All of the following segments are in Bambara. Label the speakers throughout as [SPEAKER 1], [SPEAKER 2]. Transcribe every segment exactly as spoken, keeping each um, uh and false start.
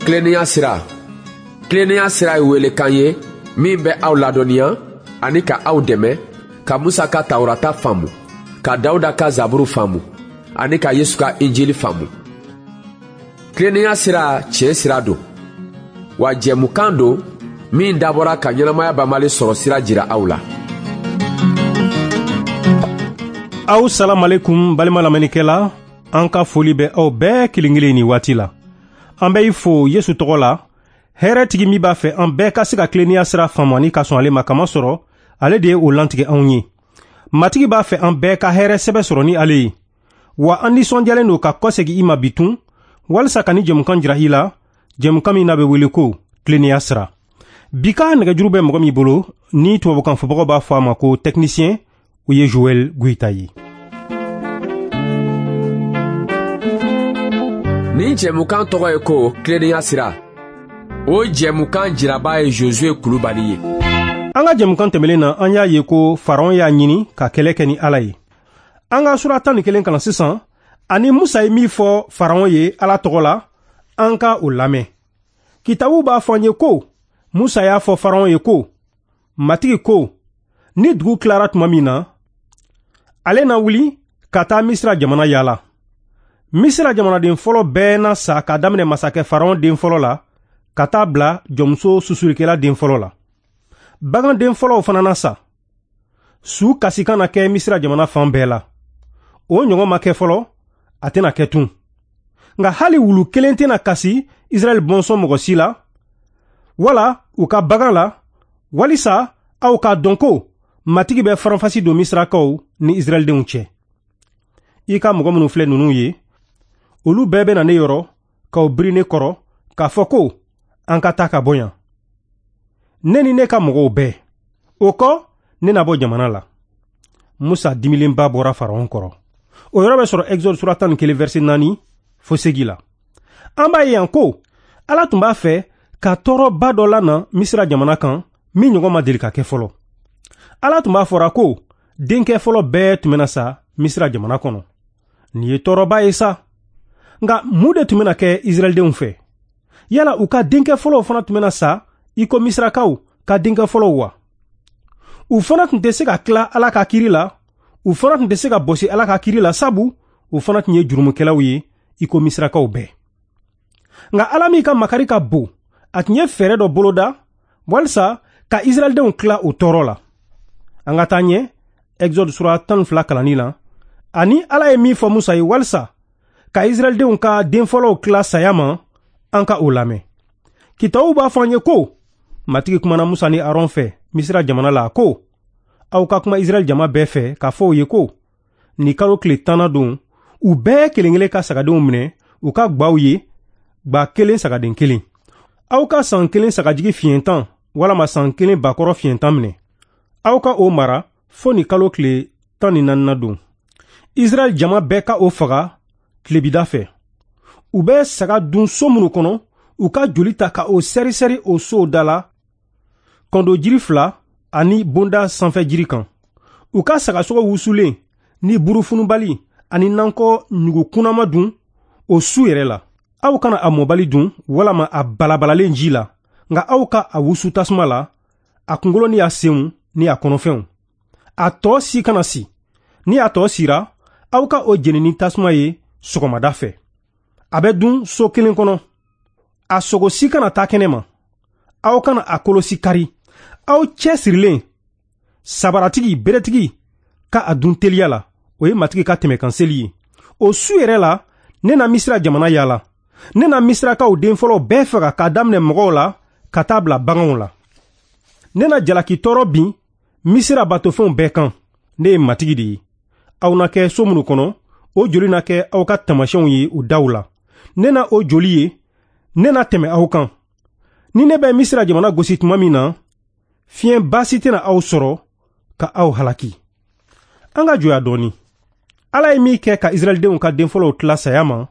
[SPEAKER 1] Tilennenya sira. Tilennenya sira ye welekan ye min bɛ aw ladɔnniya ani ka aw dɛmɛ ka Musa ka Tawurata faamu, ka Dawuda ka Zaburu faamu ani ka Yesu ka Injili faamu. Tilennenya sira tiɲɛ sira don, wa jɛmukan don min dabɔra ka ɲɛnamaya banbali sɔrɔ sira jira aw la.
[SPEAKER 2] Aw salamalekum balima lamɛnnikɛla, an ka foli bɛ aw bɛɛ kelen kelen nin waati la. An bɛ i fo Yesu tɔgɔ la, hɛrɛtigi min b'a fɛ an bɛɛ ka se ka tilennenya sira faamu ani ka sɔn ale ma, kamasɔrɔ ale de ye o lantigɛ anw ye. Matigi b'a fɛ an bɛɛ ka hɛrɛ sɛbɛ sɔrɔ ni ale ye. Wa an nisɔndiyalen don ka kɔsegin i ma bi tun, walisa ka ni jɛmukan jira i la, jɛmukan min n'a bɛ wele ko tilennenya sira. Bi ka nɛgɛjuru bɛ mɔgɔ min bolo, ni tubabukan fɔbagaw b'a fɔ a ma ko technicien, o ye Joël Goïta ye.
[SPEAKER 1] Nin jɛmukan tɔgɔ ye ko tilennenya sira. O jɛmukan jiraba ye Josué Kulubali ye.
[SPEAKER 2] An ka jɛmukan tɛmɛlen na, an y'a ye ko Faraon y'a ɲini ka kɛlɛ kɛ ni Ala ye. An ka sura tan ni kelen kalan sisan, ani Musa ye min fɔ Faraon ye Ala tɔgɔ la, an ka o lamɛn. Kitabu b'a fɔ an ye ko Musa y'a fɔ Faraon ye ko, Matigi ko, ni dugu tilara tuma min na, ale na wuli ka taa Misira jamana yaala. Misira jamanaden fɔlɔ bɛɛ na sa k'a daminɛ masakɛ Faraon den fɔlɔ la ka taa bila jɔnmuso susulikɛla den fɔlɔ la. Bagan den fɔlɔw fana na sa. Su kasikan na kɛ Misira jamana fan bɛɛ la. O ɲɔgɔn ma kɛ fɔlɔ, a tɛna kɛ tun. Nka hali wulu kelen tɛna kasi Israɛl bɔnsɔn mɔgɔ si la, wala u ka bagan la, walisa aw k'a dɔn ko Matigi bɛ faranfasi don Misirakaw ni Israɛldenw cɛ. I ka mɔgɔ minnu filɛ ninnu ye, olu bɛɛ bɛ na ne yɔrɔ k'aw biri ne kɔrɔ k'a fɔ ko an ka taa ka bɔ yan, ne ni ne ka mɔgɔw bɛɛ. O kɔ, ne na bɔ jamana la. Musa dimilenba bɔra Faraon kɔrɔ. O yɔrɔ bɛ sɔrɔ Exode sura tan ni kelen verset naani fo segi la. An b'a ye yan ko Ala tun b'a fɛ ka tɔɔrɔba dɔ lana Misira jamana kan min ɲɔgɔn ma deli ka kɛ fɔlɔ. Ala tun b'a fɔra ko denkɛ fɔlɔ bɛɛ tun bɛna sa Misira jamana kɔnɔ. Nin ye tɔɔrɔba ye sa. Nka mun de tun bɛna kɛ Israɛldenw fɛ? Yala u ka denkɛ fɔlɔw fana tun bɛna sa i ko Misirakaw ka denkɛ fɔlɔw wa? U fana tun tɛ se ka tila Ala ka kiri la, u fana tun tɛ se ka bɔsi Ala ka kiri la, sabu u fana tun ye jurumukɛlaw ye i ko Misirakaw bɛɛ. Nka Ala min ka makari ka bon, a tun ye fɛɛrɛ dɔ boloda walisa ka Israɛldenw tila o tɔɔrɔ la. An ka taa ɲɛ Exode sura tan ni fila kalanni la, ani Ala ye min fɔ Musa ye walisa ka Israɛldenw ka den fɔlɔw tila saya ma, an ka o lamɛn. Kitabu b'a fɔ an ye ko Matigi kumana Musa ni Aron fɛ Misira jamana la ko, aw ka kuma Israɛl jama bɛɛ fɛ k'a fɔ u ye ko, nin kalo tile tanna don, u bɛɛ kelen kelen ka sagadenw minɛ u ka gwaw ye, gwa kelen sagaden kelen. Aw ka san kelen sagajigi fiɲɛ tan walama san kelen bakɔrɔ fiɲɛ tan minɛ. Aw ka o mara fo nin kalo tile tan ni naaninan don. Israɛl jama bɛɛ ka o faga tilebida fɛ. U bɛ saga dun so minnu kɔnɔ, u ka joli ta ka o sɛri-sɛri o sow da la, kɔndo jiri fila ani bonda sanfɛ jiri kan. U ka sagasogo wusulen ni burufunubali ani nankɔ ɲugukunnama dun o su yɛrɛ la. Aw kana a mɔbali dun walama a balabalalen ji la, nka aw ka a wusu tasuma la, a kunkolo ni a senw ni a kɔnɔfɛnw. A tɔ si kana si. Ni a tɔ sira, aw ka o jeni ni tasuma ye sɔgɔmada fɛ. A bɛ dun so kelen kɔnɔ. A sogo si kana taa kɛnɛ ma. Aw kana a kolo si kari. Aw cɛ sirilen, sabaratigi, beretigi ka a dun teliya la. O ye Matigi ka tɛmɛkan seli ye. O su yɛrɛ la, ne na Misira jamana yaala. Ne na Misirakaw den fɔlɔw bɛɛ faga k'a daminɛ mɔgɔw la ka taa bila baganw la. Ne na jalaki tɔɔrɔ bin Misira batofɛnw bɛɛ kan. Ne ye Matigi de ye. Aw na kɛ so minnu kɔnɔ, o joli na kɛ aw ka taamasiyɛnw ye u daw la. Ne na o joli ye, ne na tɛmɛ aw kan. Ni ne bɛ Misira jamana gosi tuma min na, fiɲɛ baasi tɛna aw sɔrɔ ka aw halaki. An ka jɔya dɔɔni. Ala ye min kɛ ka Israɛldenw ka den fɔlɔw tila saya ma,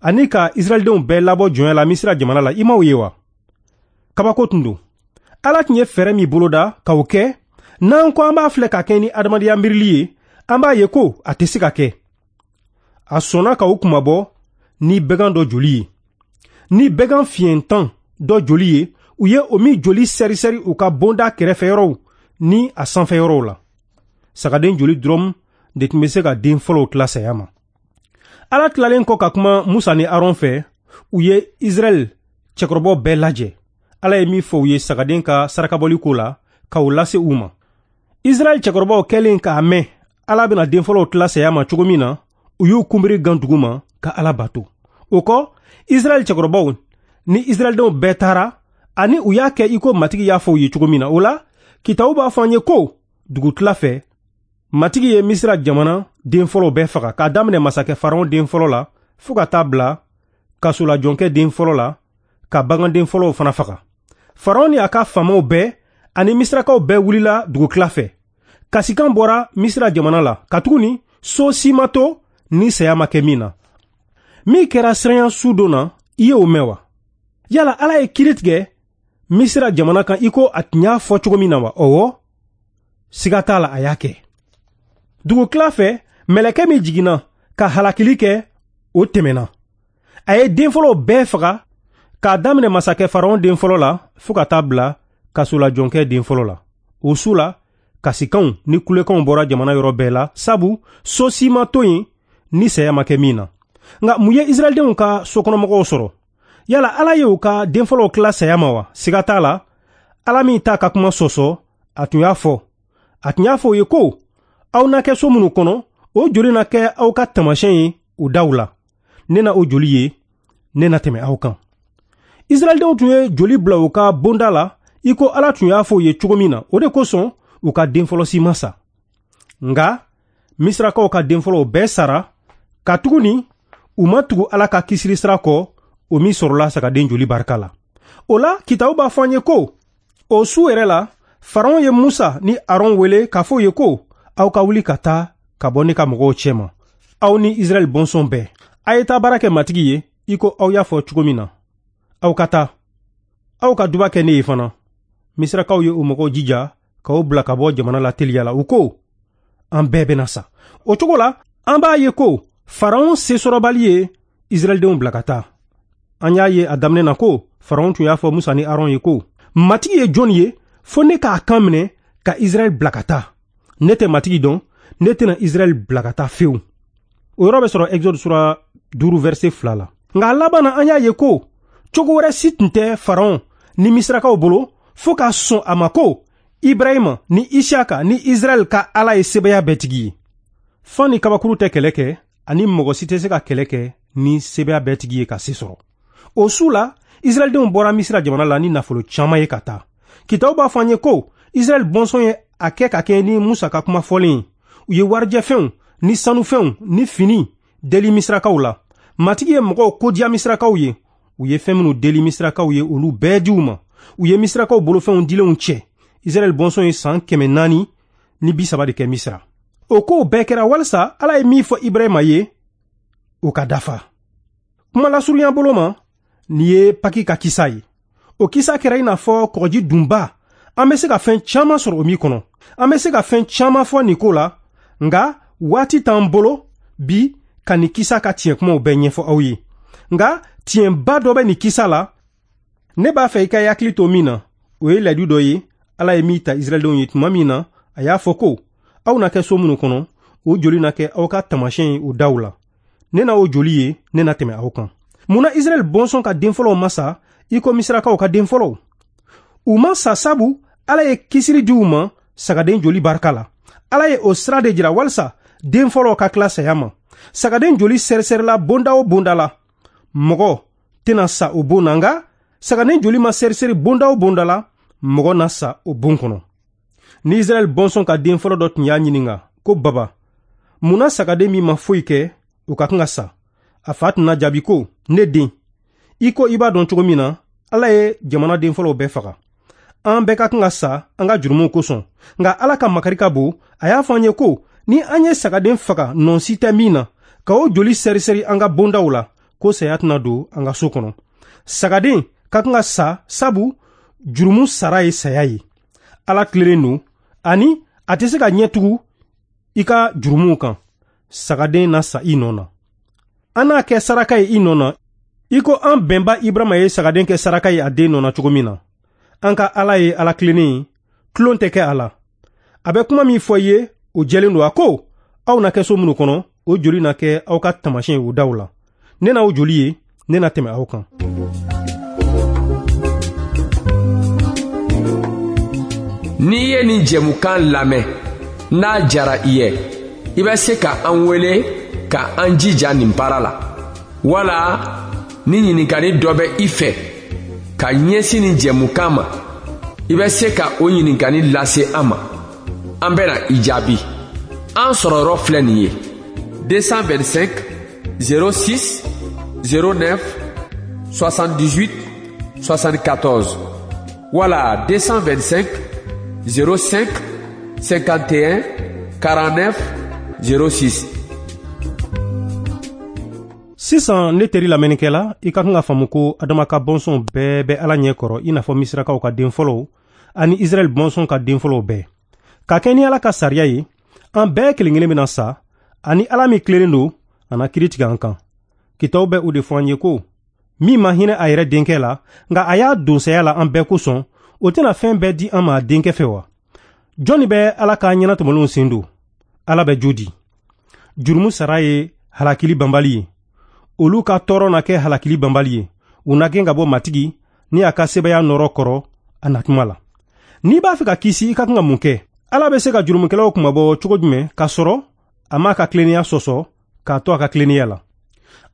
[SPEAKER 2] ani ka Israɛldenw bɛɛ labɔ jɔnya la Misira jamana la, i m'aw ye wa? Kabako tun don. Ala tun ye fɛɛrɛ min boloda k'o kɛ, n'an ko an b'a filɛ ka kɛ ni adamadenya miirili ye, an b'a ye ko a tɛ se ka kɛ. A sɔnna ka u kunmabɔ ni bagan dɔ joli ye. ni bɛgan fiɲɛntan dɔ joli ye, u ye o min joli sɛrisɛri u ka bonda kɛrɛfɛyɔrɔw ni a sanfɛyɔrɔw la. Sagaden joli dɔrɔn de tun bɛ se ka den fɔlɔw tila saya ma. Ala tilalen kɔ ka kuma Musa ni Aron fɛ, u ye Israɛl cɛkɔrɔbaw bɛɛ lajɛ. Ala ye min fɔ u ye sagaden ka sarakabɔli ko la, k'o lase u ma. Israɛl cɛkɔrɔbaw kɛlen k'a mɛn Ala bɛna den fɔlɔw tila saya ma cogo min na, u y'u kunbiri gan dugu ma ka Ala bato. O kɔ, Israɛl cɛkɔrɔbaw ni Israɛldenw bɛɛ taara, ani u y'a kɛ i ko Matigi y'a fɔ u ye cogo min na. O la, kitabu b'a fɔ an ye ko dugutila fɛ, Matigi ye Misira jamana den fɔlɔw bɛɛ faga, k'a daminɛ masakɛ Faraon den fɔlɔ la fo ka taa bila kasolajɔnkɛ den fɔlɔ la, ka baganden fɔlɔw fana faga. Faraon ni a ka faamaw bɛɛ ani Misirakaw bɛɛ wulila dugutila fɛ. Kasikan bɔra Misira jamana la, katuguni so si ma to ni saya ma kɛ min na. Min kɛra siranya su don na, i ye o mɛn wa? Yala Ala ye kiiri tigɛ Misira jamana kan i ko a tun y'a fɔ cogo min na wa? Ɔwɔ, siga t'a la, a y'a kɛ. Dugutila fɛ, mɛlɛkɛ min jiginna ka halakili kɛ, o tɛmɛna. A ye den fɔlɔw bɛɛ faga, k'a daminɛ masakɛ Faraon den fɔlɔ la fo ka taa bila kasolajɔnkɛ den fɔlɔ la. O su la, kasikanw ni kulekanw bɔra jamana yɔrɔ bɛɛ la, sabu so si ma to yen ni saya ma kɛ min na. Nka mun ye Israɛldenw ka sokɔnɔmɔgɔw sɔrɔ? Yala Ala ye u ka den fɔlɔw tila saya ma wa? Siga t'a la, Ala min t'a ka kuma sɔsɔ, a tun y'a fɔ. A tun y'a fɔ u ye ko, aw na kɛ so minnu kɔnɔ, o joli na kɛ aw ka taamasiyɛn ye u daw la. Ne na o joli ye, ne na tɛmɛ aw kan. Israɛldenw tun ye joli bila u ka bonda la, i ko Ala tun y'a fɔ u ye cogo min na. O de kosɔn u ka den fɔlɔ si ma sa. Nka Misirakaw ka den fɔlɔw bɛɛ sara, katuguni u ma tugu Ala ka kisili sira kɔ, o min sɔrɔla sagaden joli barika la. O la, kitabu b'a fɔ an ye ko, o su yɛrɛ la, Faraon ye Musa ni Aron wele k'a fɔ u ye ko, aw ka wuli ka taa ka bɔ ne ka mɔgɔw cɛma, aw ni Israɛl bɔnsɔn bɛɛ. A ye taa baara kɛ Matigi ye i ko aw y'a fɔ cogo min na. Aw ka taa, aw ka duba kɛ ne ye fana. Misirakaw ye o mɔgɔw jija k'o bila ka bɔ jamana la teliya la. U ko, an bɛɛ bɛna sa. O cogo la, an b'a ye ko Faraon sesɔrɔbali ye Israɛldenw bila ka taa. An y'a ye a daminɛ na ko Faraon tun y'a fɔ Musa ni Aron ye ko, Matigi ye jɔn ye fo ne k'a kan minɛ ka Israɛl bila ka taa? Ne tɛ Matigi dɔn, ne tɛna Israɛl bila ka taa fewu. O yɔrɔ bɛ sɔrɔ Exode sura duuru verset fila la. Nka a laban na, an y'a ye ko cogo wɛrɛ si tun tɛ Faraon ni Misirakaw bolo fo ka sɔn a ma ko Ibrahima ni Isaka ni Israɛl ka Ala ye sebaaya bɛɛ tigi ye. Fan ni kabakuru tɛ kɛlɛ kɛ, ani mɔgɔ si tɛ se ka kɛlɛ kɛ ni sebaaya bɛɛ tigi ye ka se sɔrɔ. O su la, Israɛldenw bɔra Misira jamana la ni nafolo caman ye ka taa. Kitabu b'a fɔ an ye ko Israɛl bɔnsɔn ye a kɛ ka kɛ ni Musa ka kuma fɔlen ye. U ye warijɛfɛnw ni sanufɛnw ni fini deli Misirakaw la. Matigi ye mɔgɔw kodiya Misirakaw ye. U ye fɛn minnu deli Misirakaw ye, olu bɛɛ di u ma. U ye Misirakaw bolofɛnw dilenw cɛ. Israɛl bɔnsɔn ye san kɛmɛ naani ni bi saba de kɛ Misira. O kow bɛɛ kɛra walisa Ala ye min fɔ Ibrahima ye, o ka dafa. Kuma lasurunya bolo ma, nin ye Paki ka kisa ye. O kisa kɛra i n'a fɔ kɔgɔji dunba. An bɛ se ka fɛn caman sɔrɔ o min kɔnɔ. An bɛ se ka fɛn caman fɔ nin ko la, nka waati t'an bolo bi ka nin kisa ka tiɲɛ kumaw bɛɛ ɲɛfɔ aw ye. Nka tiɲɛba dɔ bɛ nin kisa la, ne b'a fɛ i ka hakili to min na, o ye layidu dɔ ye Ala ye min ta Israɛldenw ye tuma min na, a y'a fɔ ko, aw na kɛ so minnu kɔnɔ, o joli na kɛ aw ka taamasiyɛn ye o daw la. Ne na o joli ye, ne na tɛmɛ aw kan. Mun na Israɛl bɔnsɔn ka den fɔlɔw ma sa i ko Misirakaw ka den fɔlɔw? U ma sa sabu Ala ye kisili di u ma sagaden joli barika la. Ala ye o sira de jira walisa den fɔlɔw ka tila saya ma. Sagaden joli sɛrisɛrila bonda o bonda la, mɔgɔ tɛna sa o bon na, nka sagaden joli ma sɛrisɛri bonda o bonda la, mɔgɔ na sa o bon kɔnɔ. Ni Israɛl bɔnsɔn ka den fɔlɔ dɔ tun y'a ɲininka ko, baba, mun na sagaden min ma foyi kɛ, o ka kan ka sa? A fa tun na jaabi ko, ne den, i ko i b'a dɔn cogo min na, Ala ye jamana den fɔlɔw bɛɛ faga. An bɛɛ ka kan ka sa an ka jurumuw kosɔn. Nka Ala ka makari ka bon, a y'a fɔ an ye ko, ni an ye sagaden faga nɔ si tɛ min na, ka o joli sɛrisɛri an ka bondaw la, ko saya tɛna don an ka so kɔnɔ. Sagaden ka kan ka sa sabu jurumu sara ye saya ye. Ala tilennen don, ani a tɛ se ka ɲɛ tugu i ka jurumuw kan. Sagaden na sa i nɔ na. An n'a kɛ saraka ye i nɔ na, I ko an bɛnba Ibrahima ye sagaden kɛ saraka ye a den nɔ na cogo min na, an ka Ala ye Ala tilennen ye, tulon tɛ kɛ a la. A bɛ kuma min fɔ i ye, o jɛlen don. A ko, aw na kɛ so minnu kɔnɔ, o joli na kɛ aw ka taamasiyɛn ye o daw la. Ne n'aw joli ye, ne na tɛmɛ aw kan.
[SPEAKER 1] N'i ye nin jɛmukan lamɛn, n'a jara i ye, i bɛ se ka an wele ka an jija nin baara la. Wala ni ɲininkali dɔ bɛ i fɛ ka ɲɛsin nin jɛmukan ma, i bɛ se ka o ɲininkali lase an ma. An bɛna i jaabi. An sɔrɔyɔrɔ filɛ nin ye: deux cent vingt-cinq zéro six zéro neuf soixante-dix-huit soixante-quatorze wala deux cent vingt-cinq zéro cinq cinquante et un quarante-neuf zéro six.
[SPEAKER 2] Sisan ne teri lamɛnnikɛla, i ka kan ka faamu ko Adama ka bɔnsɔn bɛɛ bɛ Ala ɲɛ kɔrɔ, i n'a fɔ Misirakaw ka den fɔlɔw ani Israɛl bɔnsɔn ka den fɔlɔw bɛɛ. Ka kɛ ni Ala ka sariya ye, an bɛɛ kelen kelen bɛna sa, ani Ala min tilennen don, a na kiiri tigɛ an kan. Kitabu bɛ o de fɔ an ye ko min ma hinɛ a yɛrɛ denkɛ la, nka a y'a don saya la an bɛɛ kosɔn, o tɛna fɛn bɛɛ di an ma a denkɛ fɛ wa? Jɔnni bɛ Ala ka ɲɛnatɔmɔlenw sen don? Ala bɛ jo di. Jurumu sara ye halakili banbali ye. Olu ka tɔɔrɔ na kɛ halakili banbali ye. U na gɛn ka bɔ Matigi ni a ka sebaaya nɔrɔ kɔrɔ a natuma la. N'i b'a fɛ ka kisi, i ka kan ka mun kɛ? Ala bɛ se ka jurumukɛlaw kunmabɔ cogo jumɛn k'a sɔrɔ a m'a ka tilennenya sɔsɔ k'a to a ka tilennenya la?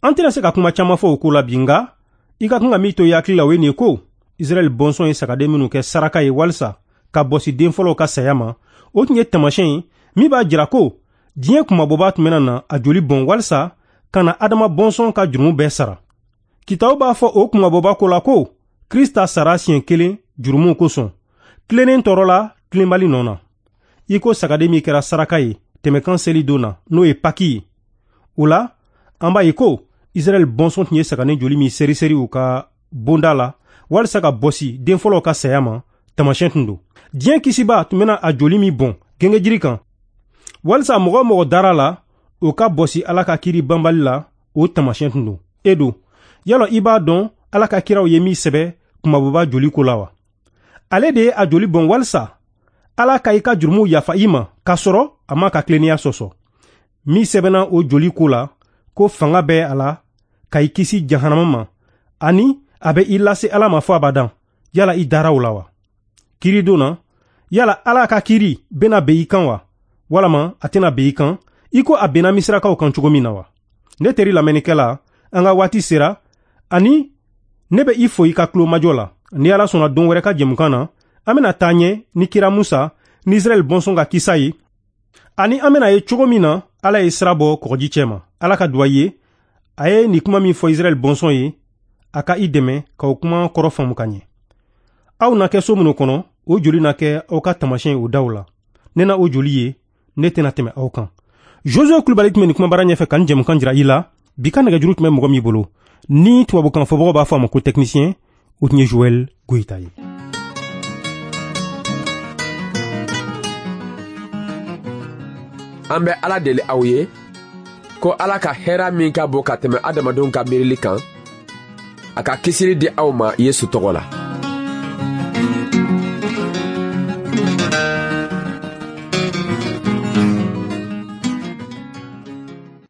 [SPEAKER 2] An tɛna se ka kuma caman fɔ o ko la bi, nka i ka kan ka min to i hakili la, o ye nin ye ko Israɛl bɔnsɔn ye sagaden minnu kɛ saraka ye walisa ka bɔsi den fɔlɔw ka saya ma, o tun ye taamasiyɛn ye min b'a jira ko diɲɛ kunmabɔba tun bɛna na a joli bɔn walisa ka na Adama bɔnsɔn ka jurumu bɛɛ sara. Kitabu b'a fɔ o kunmabɔba ko la ko Krista sara siɲɛ kelen jurumuw kosɔn, tilennen tɔɔrɔ la tilenbali nɔ na. I ko sagaden min kɛra saraka ye tɛmɛkan seli don na, n'o ye Paki ye. O la, an b'a ye ko Israɛl bɔnsɔn tun ye sagaden joli min seri-seri u ka bonda la walisa ka bɔsi den fɔlɔw ka saya ma, taamasiyɛn tun don. Diɲɛ kisiba tun bɛna a joli min bɔn gengejiri kan walisa mɔgɔ o mɔgɔ dara la, o ka bɔsi Ala ka kiiri banbali la, o taamasiyɛn tun don. E don, yala i b'a dɔn Ala ka kiraw ye min sɛbɛ kunmabɔba joli ko la wa? Ale de ye a joli bɔn walisa Ala ka i ka jurumuw yafa i ma k'a sɔrɔ a m'a ka tilennenya sɔsɔ. Min sɛbɛnna o joli ko la ko fanga bɛ a la ka i kisi jahanama ma, ani a bɛ i lase Ala ma fɔ abadan. Yala i dara o la wa? Kiiri don na, yala Ala ka kiiri bɛna ben i kan wa? Walama a tɛna ben i kan i ko a benna Misirakaw kan cogo min na wa? Ne teri lamɛnnikɛla, an ka waati sera, ani ne bɛ i fo i ka tulomajɔ la. Ni Ala sɔnna don wɛrɛ ka jɛmukan na, an bɛna taa ɲɛ ni kira Musa ni Israɛl bɔnsɔn ka kisa ye, ani an bɛna ye cogo min na Ala ye sira bɔ kɔgɔji cɛ ma. Ala ka duwa ye, a ye nin kuma min fɔ Israɛl bɔnsɔn ye, a ka i dɛmɛ k'o kuma kɔrɔ faamu ka ɲɛ. Aw na kɛ so minnu kɔnɔ, o joli na kɛ aw ka taamasiyɛn o daw la. Ne na o joli ye, ne tɛna tɛmɛ aw kan. Josué Kulibali tun bɛ nin kumabara ɲɛfɛ ka nin jɛmukan jira i la. Bi ka nɛgɛjuru tun bɛ mɔgɔ min bolo, ni tubabukan fɔbagaw b'a fɔ a ma ko technicien, o tun ye Joël Goyita ye.
[SPEAKER 1] An bɛ Ala deli aw ye ko Ala ka hɛrɛ min ka bon ka tɛmɛ adamadenw ka miirili kan, a ka kisili di aw ma Yesu tɔgɔ la.